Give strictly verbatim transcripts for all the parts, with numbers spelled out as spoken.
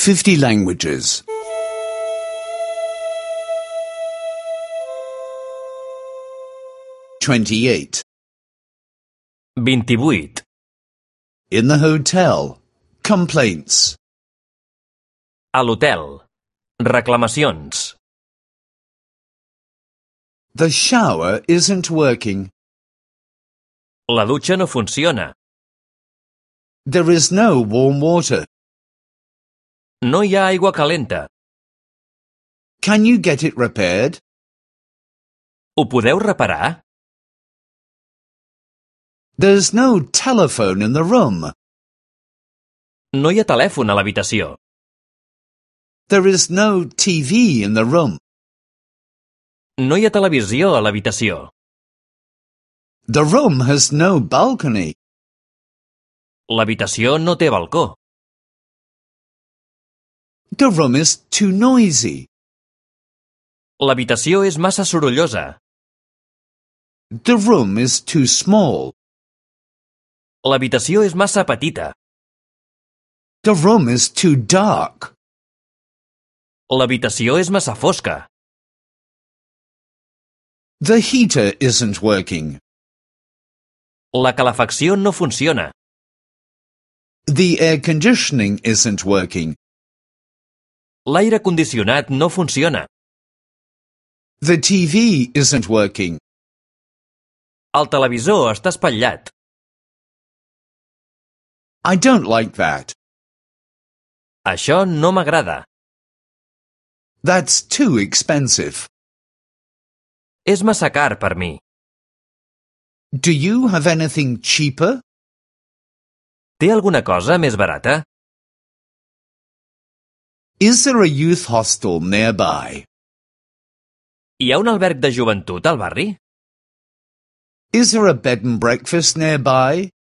fifty languages. twenty-eight. vint-i-vuit. In the hotel. Complaints. A l'hotel. Reclamacions. The shower isn't working. La dutxa no funciona. There is no warm water. No hi ha aigua calenta. Can you get it repaired? Ho podeu reparar? There's no telephone in the room. No hi ha telèfon a l'habitació. There is no T V in the room. No hi ha televisió a l'habitació. The room has no balcony. L'habitació no té balcó. The room is too noisy. L'habitació és massa sorollosa. The room is too small. L'habitació és massa petita. The room is too dark. L'habitació és massa fosca. The heater isn't working. La calefacció no funciona. The air conditioning isn't working. L'aire condicionat no funciona. The T V isn't working. El televisor està espatllat. I don't like that. Això no m'agrada. That's too expensive. És massa car per mi. Do you have anything cheaper? Té alguna cosa més barata? Is there a youth hostel nearby? Hi ha un alberg de joventut al barri? Is there a bed and breakfast nearby?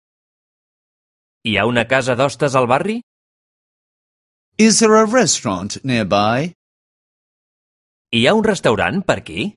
Hi ha una casa d'hostes al barri? Is there a restaurant nearby? Hi ha un restaurant per aquí?